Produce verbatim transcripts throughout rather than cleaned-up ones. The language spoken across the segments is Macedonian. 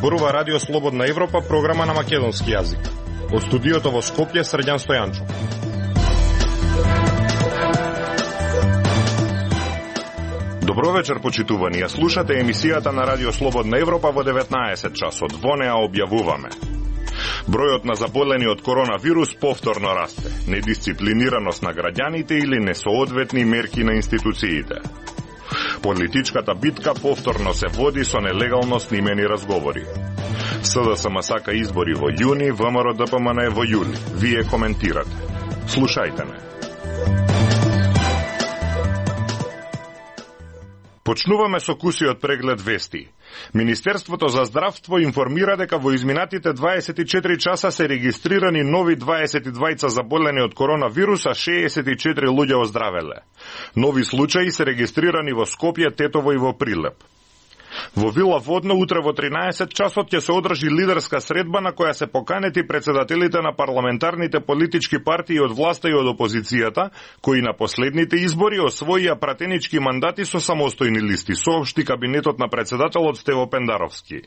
зборува Радио Слободна Европа, програма на македонски јазик. Од студиото во Скопје, Срđan Стојанчов. Добро вечер, почитувани. Ја слушате емисијата на Радио Слободна Европа во деветнаесет часот. Во неа објавуваме: бројот на заболени од коронавирус повторно расте, недисциплинираност на граѓаните или несоодветни мерки на институциите. Политичката битка повторно се води со нелегално снимени разговори. СДСМ сака избори во јуни, ВМРО-ДПМН во јули. Вие коментирате. Слушајте ме. Почнуваме со кусиот преглед вести. Министерството за здравство информира дека во изминатите дваесет и четири часа се регистрирани нови дваесет и двајца заболени од коронавирус, а шеесет и четири луѓе оздравеле. Нови случаи се регистрирани во Скопје, Тетово и во Прилеп. Во Вила Водно утре во тринаесет часот ќе се одржи лидерска средба на која се поканети председателите на парламентарните политички партии од власта и од опозицијата, кои на последните избори освоија пратенички мандати со самостојни листи, соопшти кабинетот на председателот Стево Пендаровски.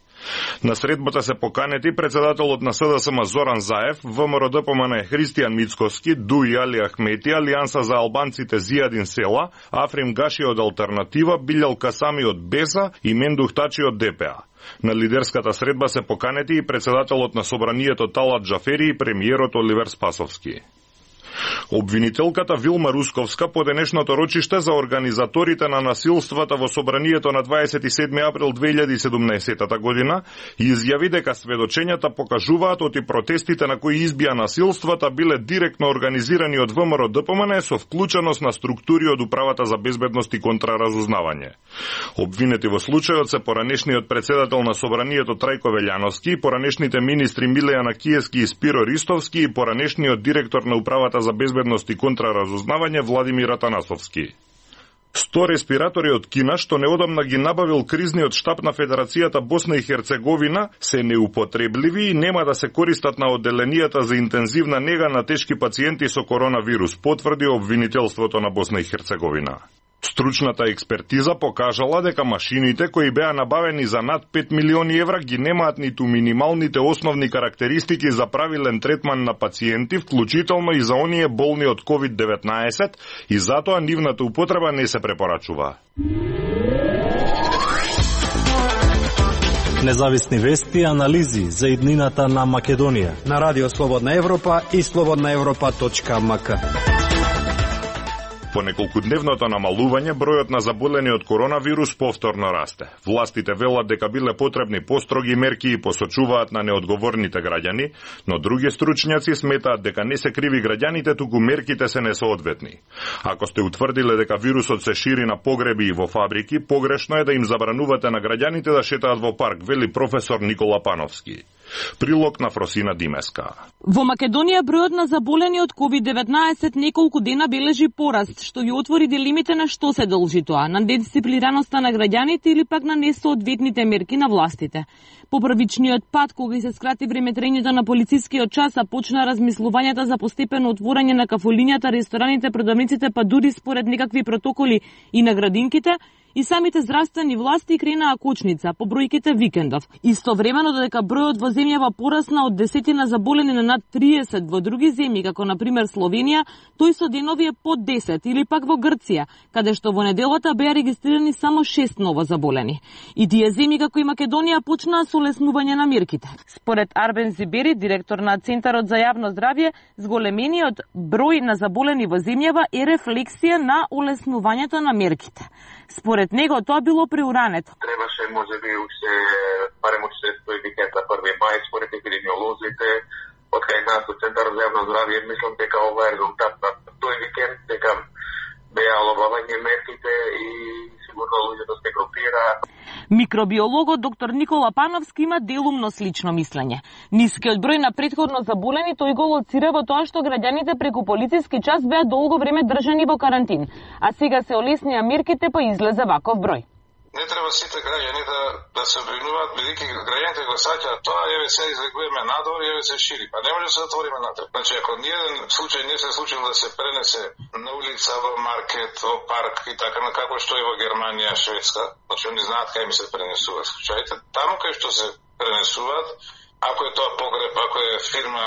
На средбата се поканети председателот на СДСМ Зоран Заев, ВМРО-ДПМН Христијан Мицковски, Дуј Али Ахмети, Алијанса за албанците Зијадин Села, Африм Гаши од Алтернатива, Билјал Касами од Беса и Мендух Тачи од ДПА. На лидерската средба се поканети и председателот на собранието Талат Джафери и премиерот Оливер Спасовски. Обвинителката Вилма Русковска по денешното рочиште за организаторите на насилствата во собранието на дваесет и седми април две илјади и седумнаесета година изјави дека сведочењата покажуваат оти протестите на кои избија насилствата биле директно организирани од ВМРО-ДПМН со вклученост на структури од Управата за безбедност и контраразузнавање. Обвинети во случајот се поранешниот председател на собранието Трајко Велјановски, поранешните министри Милејана Киевски и Спиро Ристовски и поранешниот директор на Управата за безбедност и контраразузнавање Владимир Атанасовски. сто респиратори од Кина, што неодамна ги набавил кризниот штаб на Федерацијата Босна и Херцеговина, се неупотребливи и нема да се користат на одделенијата за интензивна нега на тешки пациенти со коронавирус, потврди обвинителството на Босна и Херцеговина. Стручната експертиза покажала дека машините кои беа набавени за над пет милиони евра ги немаат ниту минималните основни карактеристики за правилен третман на пациенти, вклучително и за оние болни од ковид деветнаесет, и затоа нивната употреба не се препорачува. Независни вести и анализи за иднината на Македонија на Радио Слободна Европа и слободна европа точка ем ка. По неколкудневното намалување, бројот на заболени од коронавирус повторно расте. Властите велат дека биле потребни построги мерки и посочуваат на неодговорните граѓани, но други стручњаци сметаат дека не се криви граѓаните, туку мерките се несоодветни. Ако сте утврдиле дека вирусот се шири на погреби и во фабрики, погрешно е да им забранувате на граѓаните да шетаат во парк, вели професор Никола Пановски. Прилог на Фросина Димеска. Во Македонија бројот на заболени од ковид деветнаесет неколку дена бележи пораст, што ги отвори дилемите на што се должи тоа, на дисциплинираноста на граѓаните или пак на несоодветните мерки на властите. По првичниот пат, кога се скрати времетрењето на полицискиот час, а почна размислувањата за постепено отворање на кафулињата, рестораните, продавниците, па дури според некакви протоколи и на градинките, и самите здравствени власти кренаа кочница по бројките викендов. Истовремено додека бројот во земјава порасна од десетина заболени на над триесет во други земји, како на пример Словенија, тој со денови е под десет, или пак во Грција, каде што во неделата беа регистрирани само шест ново заболени. И тие земји како и Македонија почнаа со олеснување на мерките. Според Арбен Зибери, директор на Центарот за јавно здравје, зголемениот број на заболени во земјава е рефлексија на олеснувањето на мерките. Според него тоа било преурането. Требаше можеби уште барем уште тој викенд на први мај според епидемиолозите, од кај нас од Центарот за јавно здравје, мислам дека ова е резултат на тој викенд, дека беа олабавање мерките и сигурно луѓето се групира. Микробиологот доктор Никола Пановски има делумно слично мислење. Нискиот број на претходно заболени тој го лоцира во тоа што граѓаните преку полициски час беа долго време држани во карантин, а сега се олеснија мерките па излезе ваков број. не треба сите граѓани да да се обвинуваат, бидејќи граѓаните го саќаат тоа, еве се излегуваме надвор и еве се шири. Па не може да се затвориме натре. Значи ако ниеден случај не се случил да се пренесе на улица, во маркет, во парк и така на како што е во Германија, Шведска, значи они знаат кај ми се пренесуваат случаите, таму кај што се пренесуваат, ако е тоа погреб, ако е фирма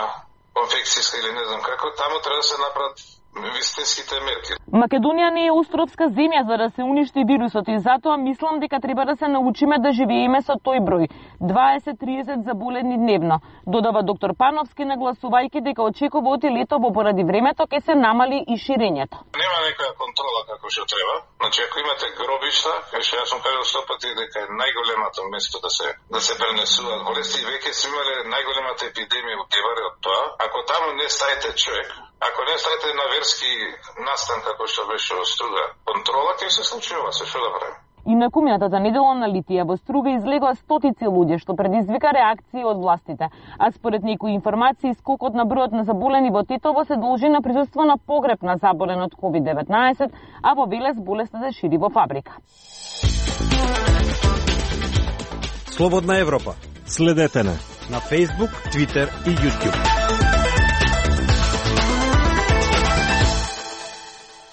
конфекцијска или не знам како, таму треба да се направат вистинските мерки. Македонија не е островска земја за да се уништи вирусот и затоа мислам дека треба да се научиме да живееме со тој број дваесет до триесет заболени дневно, додава доктор Пановски, нагласувајќи дека очекува оти летово поради времето ќе се намали и ширењето. Нема некоја контрола како што треба. Значи ако имате гробишта, што јас сум кажал сто пати дека е најголемото место да се да се пренесуваат болести, веќе сме имале најголемата епидемија во Геваре од тоа. Ако таму не ставите човек, ако не ставите на верски настан како што беше во Струга, контрола ќе се случи ова, се што да правим. И на кумината недела на Литија во Струга излегоа стотици луѓе, што предизвика реакции од властите. А според некои информации, скокот на бројот на заболени во Тетово се должи на присуство на погреб на заболен од ковид деветнаесет, а во Велес болеста се шири во фабрика. Слободна Европа. Следете не на Facebook, Twitter и YouTube.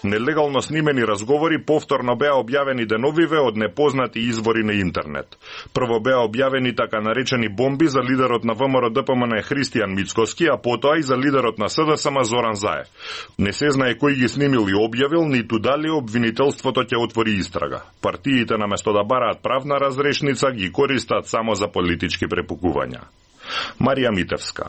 Нелегално снимени разговори повторно беа објавени деновиве од непознати извори на интернет. Прво беа објавени така наречени бомби за лидерот на ВМРО-ДПМН Христијан Мицкоски, а потоа и за лидерот на СДСМ Зоран Заев. Не се знае кој ги снимил и објавил, ниту дали обвинителството ќе отвори истрага. Партиите наместо да бараат правна разрешница ги користат само за политички препукувања. Марија Митевска.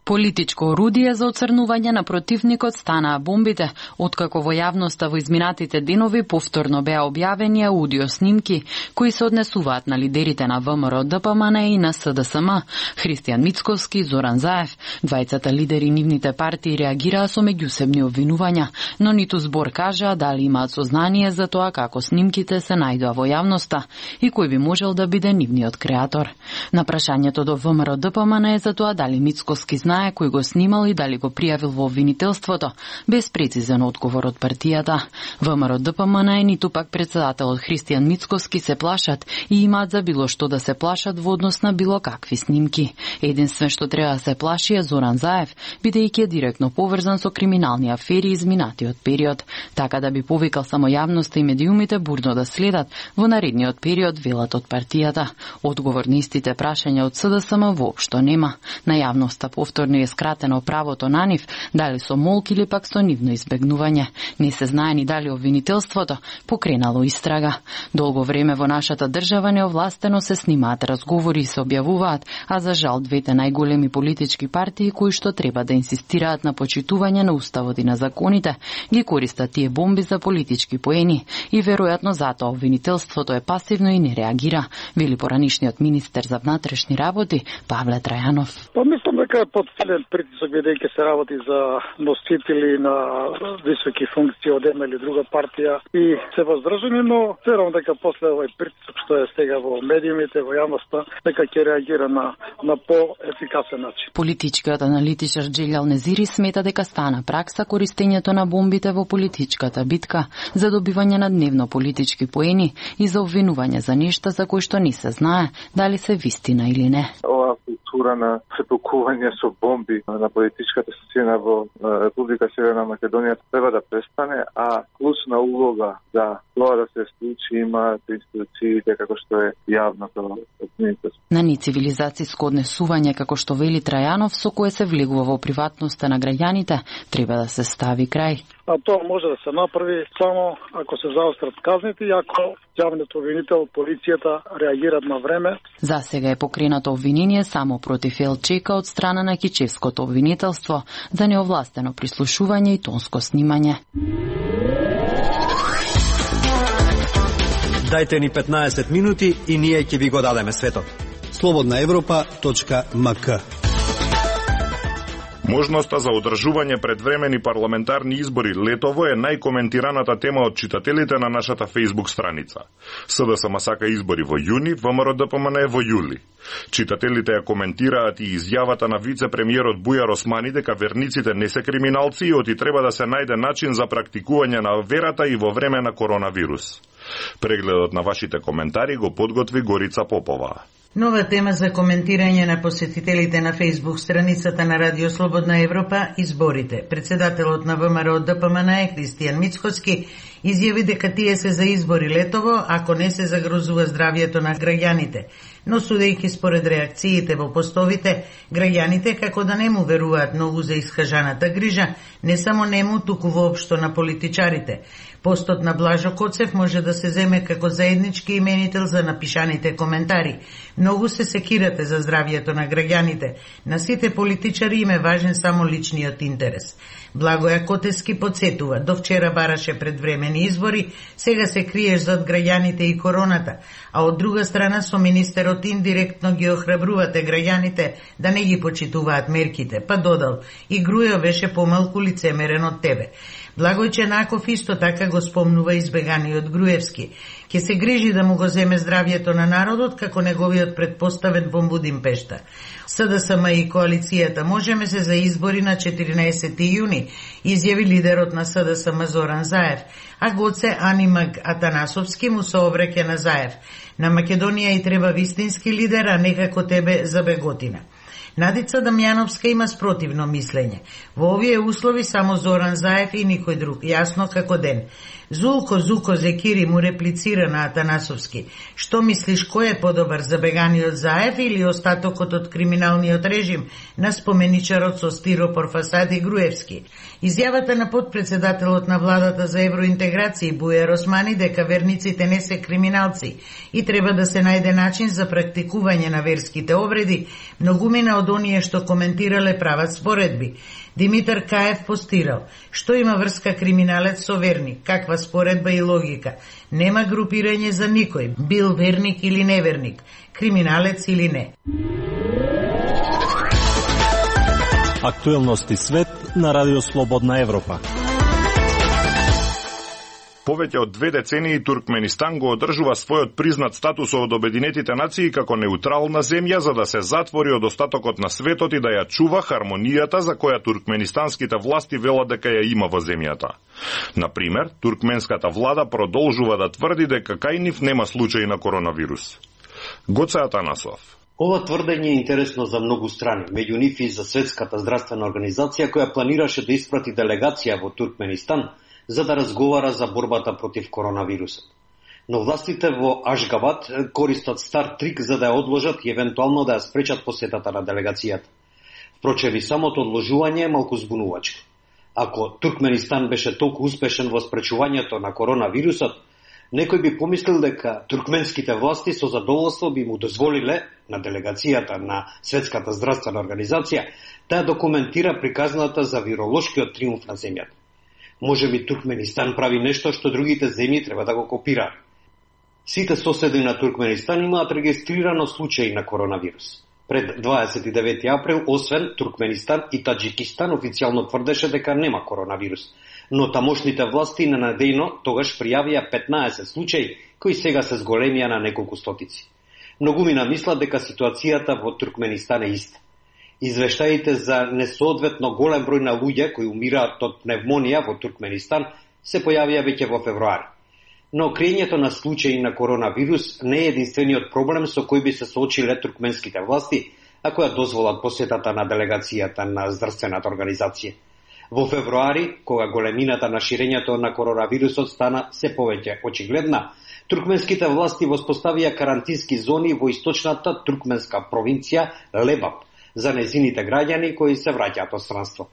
Политичко орудие за оцрнување на противникот станаа бомбите, откако во јавноста во изминатите денови повторно беа објавени аудио снимки кои се однесуваат на лидерите на ВМРО-ДПМН и на СДСМ, Христијан Мицкоски и Зоран Заев. Двајцата лидери нивните партии реагираа со меѓусебни обвинувања, но ниту збор кажаа дали имаат сознание за тоа како снимките се најдоа во јавноста и кој би можел да биде нивниот креатор. На прашањето до ВМРО-ДПМН е за тоа дали Мицкоски знае кој го снимал и дали го пријавил во обвинителството, без прецизен одговор од партијата. ВМРО-ДПМН и ниту пак председателот Христијан Мицкоски се плашат и имаат за било што да се плашат во однос на било какви снимки. Единствен што треба да се плаши е Зоран Заев, бидејќи е директно поврзан со криминални афери изминатиот период, така да би повикал само јавноста и медиумите бурно да следат во наредниот период, велат од партијата. Одговор на истите прашања од СДСМ воопшто нема. На јавноста повторно е скратено правото на нив, дали со молк или пак со нивно избегнување. Не се знае ни дали обвинителството покренало истрага. Долго време во нашата држава неовластено се снимаат разговори и се објавуваат, а за жал двете најголеми политички партии кои што треба да инсистираат на почитување на уставот и на законите, ги користат тие бомби за политички поени и веројатно затоа обвинителството е пасивно и не реагира, вели поранишниот министер за внатрешни работи Павле Трајанов. Па мислам дека е подсилен притисок, бидејќи се работи за носители на високи функции од една или друга партија и се воздржани, но верувам дека после овој притисок што е сега во медиумите, во јавноста, дека ќе реагира на на поефикасен начин. Политичкиот аналитичар Джелјал Незири смета дека стана пракса користењето на бомбите во политичката битка за добивање на дневно политички поени и за обвинување за нешта за кои што не се знае дали се вистина или не. Ова култура на препукување со бомби на политичката сцена во Република Северна Македонија треба да престане, а клучна улога за тоа да се случи имаат институциите како што е јавното општество. На нецивилизацијско однесување, како што вели Трајанов, со кое се влегува во приватноста на граѓаните, треба да се стави крај. А тоа може да се направи само ако се заострат казните и ако јавниот обвинител, полицијата реагираат на време. За сега е покренато обвинение само против Елчека од страна на Кичевското обвинителство за неовластено прислушување и тонско снимање. Дајте ни петнаесет минути и ние ќе ви го дадеме светот. слободна европа точка ем ка. Можноста за одржување предвремени парламентарни избори летово е најкоментираната тема од читателите на нашата Facebook страница. СДСМ сака избори во јуни, ВМРО-ДПМН е во јули. Читателите ја коментираат и изјавата на вице-премиерот Бујар Османи дека верниците не се криминалци и оти треба да се најде начин за практикување на верата и во време на коронавирус. Прегледот на вашите коментари го подготви Горица Попова. Нова тема за коментирање на посетителите на Facebook страницата на Радио Слободна Европа – изборите. Председателот на ВМРО ДПМН Кристијан Мицкоски изјави дека тие се за избори летово, ако не се загрозува здравјето на граѓаните. Но судејќи според реакциите во постовите, граѓаните како да не му веруваат многу за искажаната грижа, не само нему, туку воопшто на политичарите. Постот на Блажо Коцев може да се земе како заеднички именител за напишаните коментари. Многу се секирате за здравјето на граѓаните. На сите политичари им е важен само личниот интерес. Благоја Котевски подсетува, до вчера бараше предвремени избори, сега се криеш зад граѓаните и короната, а од друга страна со министерот индиректно ги охрабрувате граѓаните да не ги почитуваат мерките, па додал, и Грујо беше помалку лицемерен од тебе. Благој Ченаков исто така го спомнува избеганиот Груевски. Ке се грижи да му го земе здравјето на народот како неговиот предпоставен во Будимпешта. СДСМ и коалицијата Можеме се за избори на четиринаесети јуни, изјави лидерот на СДСМ Зоран Заев, а Гоце Анимаг Атанасовски му се обреќа на Заев. На Македонија и треба вистински лидер, а не како тебе за беготина. Надица Дамјановска има спротивно мислење. Во овие услови само Зоран Заев и никој друг, јасно како ден. Зулко Зуко Зекири му реплицира на Атанасовски. Што мислиш, кој е подобар, забеганиот Заев или остатокот од криминалниот режим на споменичарот со стиропор фасади Груевски? Изјавата на подпредседателот на владата за евроинтеграција Бујар Османи дека верниците не се криминалци и треба да се најде начин за практикување на верските обреди, многумина од оние што коментирале прават споредби. Димитар Каев постирал, што има врска криминалец со верник, каква споредба и логика. Нема групирање за никој, бил верник или неверник, криминалец или не. Актуелности свет на Радио Слободна Европа. Повеќе од две децении Туркменистан го одржува својот признат статус од Обединетите нации како неутрална земја за да се затвори од остатокот на светот и да ја чува хармонијата за која туркменистанските власти велат дека ја има во земјата. Например, туркменската влада продолжува да тврди дека кај нив нема случаи на коронавирус. Гоце Атанасов. Ова тврдење е интересно за многу страни, меѓу нив и за Светската здравствена организација која планираше да испрати делегација во Туркменистан за да разговара за борбата против коронавирусот. Но властите во Ашгабад користат стар трик за да ја одложат и евентуално да ја спречат посетата на делегацијата. Впрочем, и самото одложување е малку збунувачко. Ако Туркменистан беше толку успешен во спречувањето на коронавирусот, некој би помислил дека туркменските власти со задоволство би му дозволиле на делегацијата на Светската здравствена организација да ја документира приказната за виролошкиот триумф на земјата. Може би Туркменистан прави нешто што другите земји треба да го копираат. Сите соседи на Туркменистан имаат регистрирано случаи на коронавирус. Пред дваесет и девети април, освен Туркменистан и Таџикистан официјално тврдеше дека нема коронавирус, но тамошните власти ненадејно тогаш пријавија петнаесет случаи кои сега се зголемија на неколку стотици. Многумина мислат дека ситуацијата во Туркменистан е иста. Извештаите за несоодветно голем број на луѓе кои умираат од пневмонија во Туркменистан се појавија веќе во февруари. Но крењето на случаи на коронавирус не е единствениот проблем со кој би се соочиле туркменските власти ако ја дозволат посетата на делегацијата на здравствената организација. Во февруари, кога големината на ширењето на коронавирусот стана се повеќе очигледна, туркменските власти воспоставија карантински зони во источната туркменска провинција Лебап за незините граѓани кои се враќаат од странство.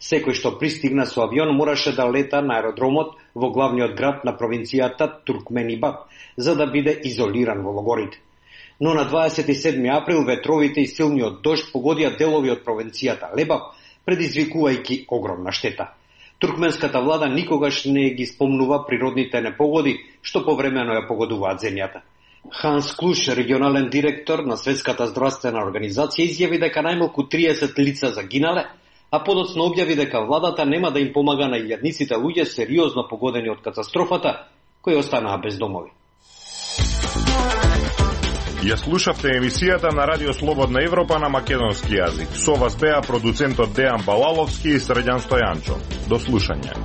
Секој што пристигна со авион мораше да лета на аеродромот во главниот град на провинцијата Туркменибад, за да биде изолиран во логорите. Но на дваесет и седми април ветровите и силниот дожд погодија делови од провинцијата Лебап, предизвикувајќи огромна штета. Туркменската влада никогаш не ги спомнува природните непогоди што повремено ја погодуваат земјата. Ханс Клуш, регионален директор на Светската здравствена организација, изјави дека најмалку триесет лица загинале, а подоцна објави дека владата нема да им помага на илјадниците луѓе сериозно погодени од катастрофата, кои останаа без домови. Ја слушавте емисијата на Радио Слободна Европа на македонски јазик. Со вас беа продуцентот Дејан Балаловски и Срđan Стојанчо. До слушање.